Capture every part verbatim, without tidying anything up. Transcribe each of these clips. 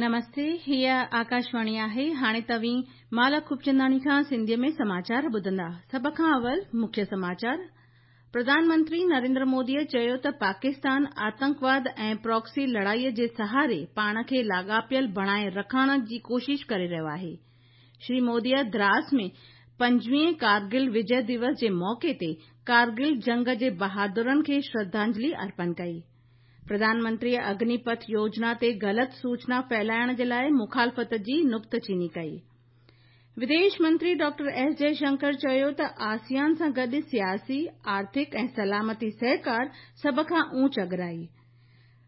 نمستي، هيء آڪاشواڻي آهي. هاڻي توهين مالا خوبچنداڻي کان سنڌيء ۾ سماچار ٻڌندا. سڀ کان اول مکيه سماچار. پرڌان منتري نريندر موديء چيو ته پاڪستان آتنڪواد ۽ پراڪسي لڙائيء جي سهاري پاڻ کي لاڳاپيل بڻائي رکڻ جي ڪوشش ڪري رهيو آهي. شري موديء دراس ۾ پنجويهين ڪارگل وجي دوس جي موقعي تي ڪارگل جنگ جي بهادرن کي شرڌانجلي ارپڻ ڪئي. پرڌان منتريء اگني پٿ يوجنا تي غلط سوچنا ڦهلائڻ جي لاءِ مخالفت جي نڪتچيني ڪئي. وديش منتري ڊاڪٽر ايس جئشنڪر چيو ته آسيان سان گڏ سياسي، آرٿڪ ۽ سلامتي سهڪار سڀ کان اوچ اڳرائي.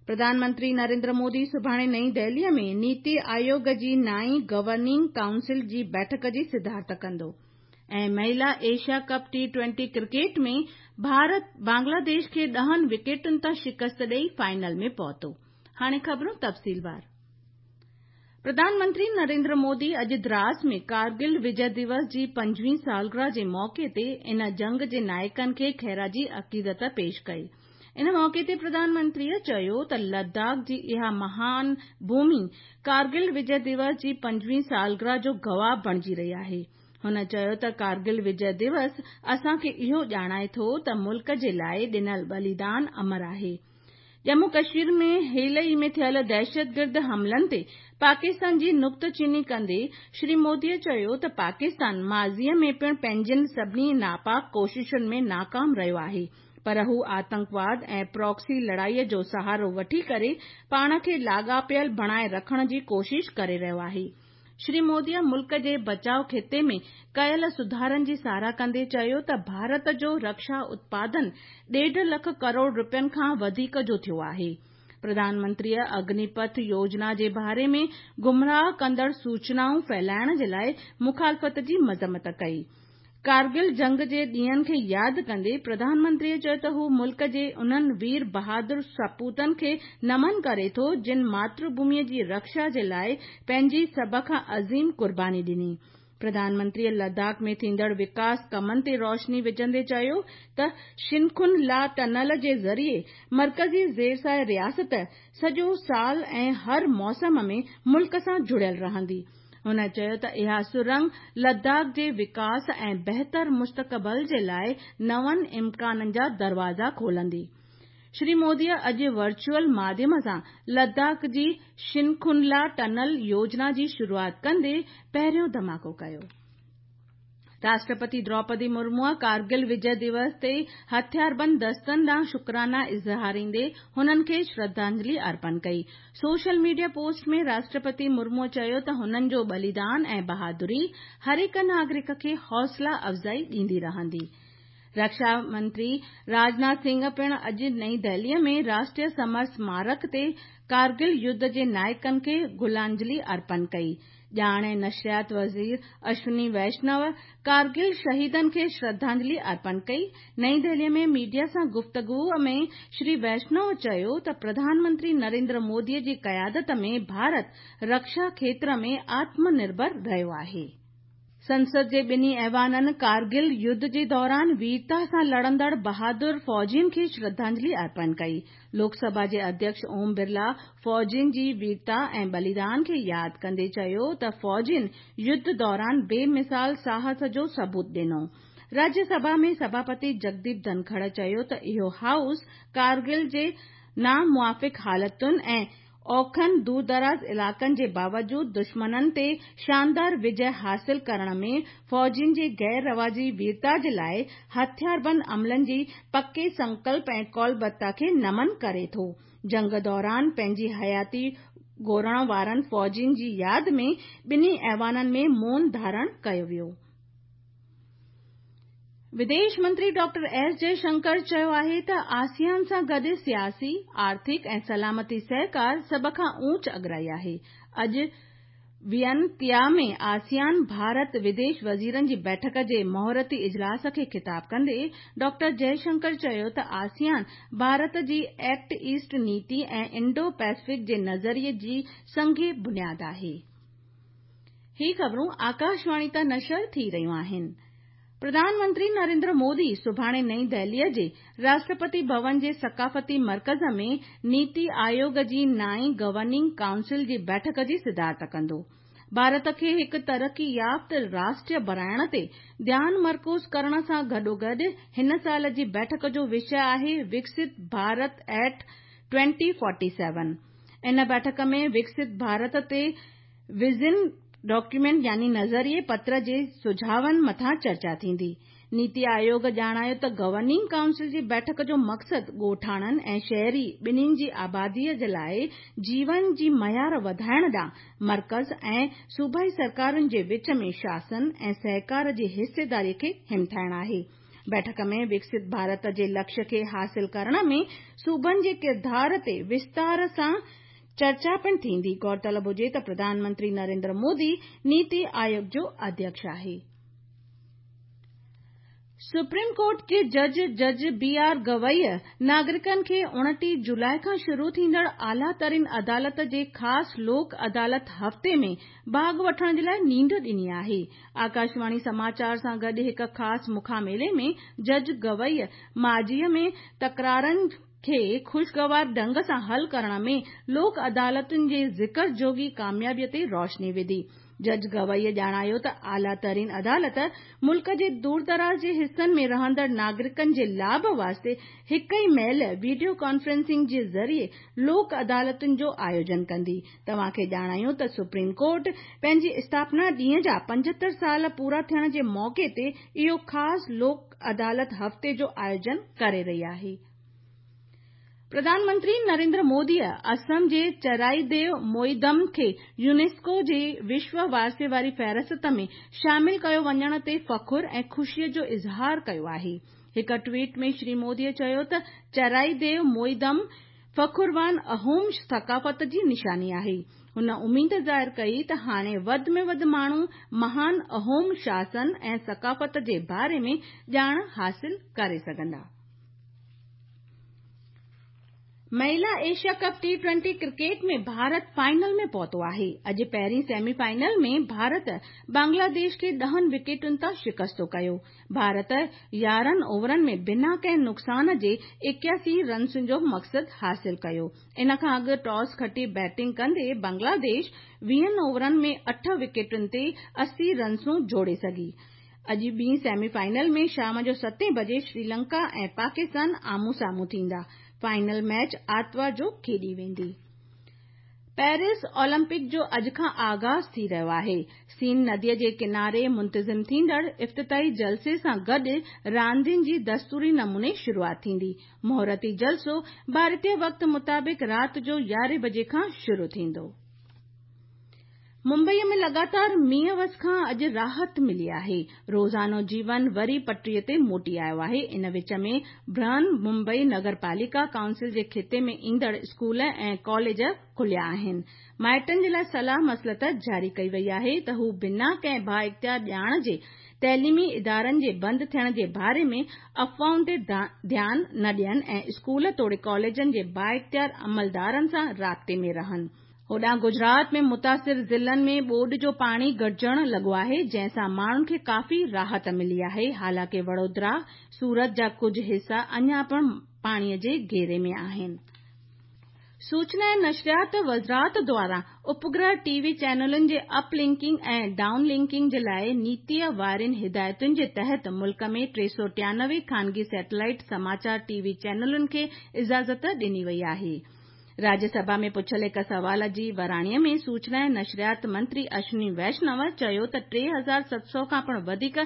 پرڌان منتري نريندر مودي سڀاڻي نئين دهليء ۾ نيتي آيوگ جي نائين گورننگ ڪائونسل جي بيٺڪ جي صدارت ڪندو. ۽ مهلا Asia cup T twenty cricket ۾ Bharat Bangladesh کي ڏهن وڪيٽن تان شڪست ڏئي فائنل ۾ پهتو. هاڻي خبرون تفصيلوار. پرڌان منتري نريندر مودي اڄ دراس ۾ ڪارگل وجي دوس جي پنجويهين سالگرهه جي موقعي تي ان جنگ جي نائڪن کي خراج عقيدت پيش ڪئي. ان موقعي تي پرڌان منتريء چيو ته لداخ جي اها مهان ڀومي ڪارگل وجي دوس جي پنجويهين سالگرهه جو گواهه بڻجي رهي آهي. هن چيو ته ڪارگل وجي دوس اسان کي اهو ڄاڻائي ٿو ته ملڪ جي لاءِ ڏنل ٻليدان امر آهي. ڄمون ڪشمير ۾ حال ئي ۾ ٿيل دهشتگرد حملن تي پاڪستان جي نڪتچيني ڪندي شري موديء چيو ته پاڪستان ماضيء ۾ پڻ پنهنجين سڀني ناپاڪ ڪوششن ۾ ناڪام رهيو آهي، پر هو آتنڪواد ۽ پراڪسي لڙائيء جو سهارو وٺي ڪري پاڻ کي لاڳاپيل بڻائي رکڻ جي ڪوشش ڪري رهيو آهي. شري موديء ملڪ جي بچاءُ کاتي ۾ ڪيل سڌارن جي ساراهه ڪندي چيو ته ڀارت جو رڪشا اتپادن ڏيڍ لک ڪروڙ رپين کان وڌيڪ جو ٿيو آهي. پرڌان منتريء اگني پٿ يوجنا جي باري ۾ گمراهه ڪندڙ سوچنائون ڦهلائڻ جي لاءِ مخالفت جي مذمت ڪئي. ڪارگل جنگ جي ڏينهن کي ياد ڪندي پرڌان منتريء چيو ته هو ملڪ جي انهن وير بهادر سپوتن کي نمن ڪري ٿو جن ماتر ڀوميءَ جي رڪشا جي لاءِ پنهنجي سڀ کان عظيم قرباني ڏني. پرڌان منتريء لداخ ۾ ٿيندڙ وڪاس ڪمن تي روشني وجهندي چيو ته شنکن لا ٽنل جي ذريعي مرڪزي زيرسايه رياست سڄو سال ۽ هر موسم ۾ ملڪ سان جڙيل رهندي. هن چيو ته اها سرنگ لداخ جي وڪاس ۽ بهتر مستقبل جي لاءِ نون امڪانن جا دروازا کولندي. شري موديء اڄ ورچوئل ماڌيم سان لداخ جي شنکن لا ٽنل يوجنا جي شروعات ڪندي پهريون ڌماڪو ڪيو. راشٽرپتي دروپدي مرموء ڪارگل وجي دوس تي هٿياربند دستن ڏانهن شڪرانا اظهاريندي هنن کي شرڌانجلي ارپڻ ڪئي. سوشل ميڊيا پوسٽ ۾ راشٽرپتي مرموء چيو ته هنن جو ٻليدان ۽ بهادري هر هڪ ناگرڪ کي حوصلا افزائي ڏيندي رهندي. رڪشا منتري راجناٿ سنگهه پڻ اڄ نئين دهليء ۾ راشٽريه سمر سمارڪ تي ڪارگل يڌ جي نائڪن کي گلانجلي ارپڻ ڪئي. ڄاڻ ۽ نشريات وزير اشوني ويشنو ڪارگل شهيدن کي شرڌانجلي ارپڻ ڪئي. نئين دهليء ۾ ميڊيا سان گفتگو ۾ شري ويشنو چيو ته پرڌان منتري نريندر موديء جي قيادت ۾ ڀارت رڪشا کيتر ۾ آتم نرڀر رهيو آهي. سنسد جي ٻنهي ايوانن ڪارگل يڌ جي دوران ويرتا سان لڙندڙ بهادر فوجين کي شرڌانجلي ارپڻ ڪئي. لوڪ سڀا جي اڌيڪش اوم برلا فوجين جي ويرتا ۽ ٻليدان کي ياد ڪندي چيو ته فوجين يڌ دوران بي مثال ساهس جو ثبوت ڏنو. راجيه سڀا ۾ سڀاپتي جگديپ ڌنکڙ چيو ته اهو هائوس ڪارگل جي ناموافق حالتن ۽ اوکن دوردراز علائقن جي باوجود دشمنن تي شاندار وجي حاصل ڪرڻ ۾ فوجين جي غير رواجي ويرتا جي لاءِ هٿياربند عملن جي پڪي سنڪلپ ۽ ڪولبتا کي نمن ڪري ٿو. جنگ دوران پنهنجي حياتي گهورڻ وارن فوجين جي ياد ۾ ٻنهي ايوانن ۾ مون ڌارڻ ڪيو ويو. وديش منتري ڊاڪٽر ايس جئشنڪر چيو آهي ته آسيان سان گڏ سياسي، آرٿڪ ۽ سلامتي سهڪار سڀ کان اوچ اڳرائي آهي. اڄ وينتيا ۾ آسيان ڀارت وديش وزيرن جي بيٺڪ جي مهورتي اجلاس کي خطاب ڪندي ڊاڪٽر جئشنڪر چيو ته آسيان ڀارت جي ايڪٽ ايسٽ نيتي ۽ انڊو پيسفڪ جي نظريي جي سنگ بنياد آهي. هي خبرون آڪاشواڻي تان نشر ٿي رهيون آهن. प्रधानमंत्री नरेंद्र मोदी सुभाणे नई दिल्लीअ जे राष्ट्रपति भवन जे सकाफ़ती मर्कज़ में नीति आयोग जी नाई गवर्निंग काउंसिल जी बैठक जी सदारत कंदो। भारत खे हिकु तरक़ी याफ़्त राष्ट्र बणाइण ते ध्यान मरकूज़ करण सां गॾोगॾु हिन साल जी बैठक जो विषय आहे Viksit Bharat at twenty forty seven. इन बैठक में विकसित भारत ते विज़न डॉक्यूमेंट यानी नज़रिए पत्र जे सुझावनि मथां चर्चा थींदी। नीति आयोग ॼाणायो त गवर्निंग काउंसिल जी बैठक जो मक़सदु ॻोठाणनि ऐं शहरी ॿिन्हिनि जी आबादीअ जे लाइ जीवन जी मयार वधाइण ॾांहुं मर्कज़ ऐं सूबाई सरकारुनि जे विच में शासन ऐं सहकार जी हिसेदारीअ खे हिमथाइण आहे। बैठक में विकसित भारत जे लक्ष्य खे हासिल करण में सूबनि जे किरदार ते विस्तार सां चर्चा पिणु थींदी। गौरतलब हुजे त प्रधानमंत्री नरेंद्र मोदी नीति आयोग जो अध्यक्ष आहे। सुप्रीम कोर्ट जे जज जज बी आर गवई नागरिकनि खे उणिटीह जुलाई खां शुरू थींदड़ आला तरीन अदालत जे ख़ासि लोक अदालत हफ़्ते में भाॻ वठण जे लाइ नींड ॾिनी आहे। आकाशवाणी समाचार सां गॾु हिकु ख़ासि मुखामेले में जज गवई माज़ीअ में तकरारनि खे ख़ुशगवार ढंग सां हल करण में लोक अदालतुनि जे ज़िक्र जोॻी कामयाबीअ ते रोशनी विधी। जज गवई ॼाणायो त आला तरीन अदालत मुल्क जे दूरदराज़ जे हिसनि में रहंदड़ नागरिकनि जे लाभ वास्ते हिकु ई महिल वीडियो कॉन्फ्रेंसिंग जे ज़रिए लोक अदालतुनि जो आयोजन कंदी। तव्हांखे ॼाणायूं त सुप्रीम कोर्ट पंहिंजी स्थापना ॾींहं जा पंजहतरि साल पूरा थियण जे मौक़े ते इहो ख़ासि लोक अदालत हफ़्ते जो आयोजन करे रही आहे। प्रधानमंत्री नरेंद्र मोदीअ असम जे चराईदेव मोईदम खे यूनेस्को जे विश्व वारसे वारी फ़हरिस्त में शामिल कयो वञण ते फ़ख़ुरु ऐं ख़ुशीअ जो इज़हार कयो आहे। हिकु ट्वीट में श्री मोदीअ चयो त चराईदेव मोईदम फ़ख़ुरवान अहोम सकाफ़त जी निशानी आहे। हुन उमेद ज़ाहिर कई त हाणे वधि में वधि माण्हू महान अहोम शासन ऐं सकाफ़त जे बारे में ॼाण हासिल करे सघंदा। महिला Asia cup T twenty cricket में भारत फाइनल में पहुतो आहे। अॼु पहिरीं सेमी फाइनल में भारत बांग्लादेश खे ॾहनि विकेटुनि तां शिकस्तो कयो। भारत यारहं ओवरनि में बिना कंहिं नुक़सान जे एकासी रन्सुनि जो मक़सदु हासिल कयो। इन खां अॻु टॉस खटी बैटिंग कंदे बांग्लादेश वीहनि ओवरनि में अठ विकेटुनि ते अस्सी रन्सूं जोड़े सघी। अॼु ॿी सेमी फाइनल में शाम जो सतें बजे श्रीलंका ऐं पाकिस्तान आम्हूं साम्हूं थींदा। फाइनल मैच आतिवार जो खेॾी वेंदी। पेरिस ओलंपिक जो अॼु खां आगाज़ थी रहियो आहे। सीन नदीअ जे किनारे मुंतज़िम थींदड़ इफ़्तिताही जलसे सां गॾु रांदियुनि जी दस्तूरी नमूने शुरूआत थींदी। मुहूरती जलसो भारतीय वक़्त मुताबिक़ राति जो यारहें बजे खां शुरू थींदो। मुंबईअ में लगातार मींहं वस खां अॼु राहत मिली आहे। रोज़ानो जीवन वरी पटरीअ ते मोटी आयो आहे। इन विच में बृहन मुंबई नगर पालिका काउंसिल जे खिते में ईंदड़ स्कूल ऐं कॉलेज खुलिया आहिनि। माइटनि जे लाइ सलाह मसलत जारी कई वई आहे त हू बिना कंहिं बाइख़्तियार ॼाण जे तइलीमी इदारनि जे बंदि थियण जे बारे में अफ़वाहुनि ते ध्यानु न ॾियनि ऐं स्कूल तोड़े कॉलेजनि जे बाइख़्तियार अमलदारनि सां राब्ते में रहनि। होॾां गुजरात में मुतासिर ज़िलनि में ॿोॾ जो पाणी घटिजणु लॻो आहे, जंहिंसां माण्हुनि खे काफ़ी राहत मिली आहे। हालांकि वडोदरा, सूरत जा कुझु हिसा अञा पिणु पाणीअ जे घेरे में आहिनि। सूचना ऐं नशरियात वज़ारत द्वारा उपग्रह टीवी चैनलुनि जे अपलिंकिंग ऐं डाउन लिंकिंग जे लाइ नीतीअ वारनि हिदायतुनि जे तहत मुल्क में टे सौ टियानवे ख़ानगी सैटेलाइट समाचार टीवी चैनलुनि खे इजाज़त ॾिनी वई आहे। राज्यसभा में पुछियल हिकु सवाल जी वराणीअ में सूचना ऐं नशरियात मंत्री अश्विनी वैष्णव चयो त टे हज़ार सत सौ खां पिणु वधीक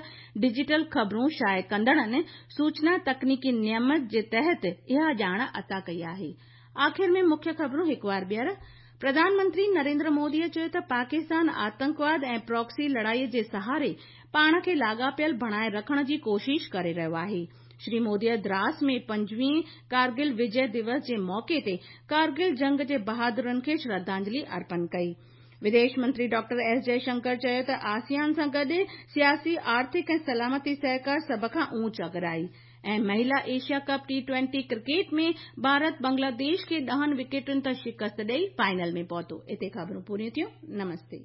डिजिटल ख़बरूं शाये कंदड़नि सूचना तकनीकी नियम जे तहत इहा ॼाण अता कई आहे। आख़िर में मुख्य ख़बरूं हिकु वार ॿीहर। प्रधानमंत्री नरेंद्र मोदीअ चयो त पाकिस्तान आतंकवाद ऐं प्रॉक्सी लड़ाईअ जे सहारे पाण खे लाॻापियल बणाए रखण जी कोशिश करे रहियो आहे। श्री मोदीअ द्रास में पंजवीह कारगिल विजय दिवस जे मौक़े ते कारगिल जंग जे बहादुरनि खे श्रद्धांजलि अर्पण कई। विदेश मंत्री डॉक्टर एस जयशंकर चयो त आसियान सां गॾु सियासी, आर्थिक ऐं सलामती सहकार सभ खां ऊंच अगराई। ऐं महिला Asia cup T twenty cricket में भारत बांग्लादेश खे ॾहनि विकेटुनि तां शिकस्त ॾेई फाइनल में पहुतो। हिते ख़बरूं पूरियूं थियूं। नमस्ते।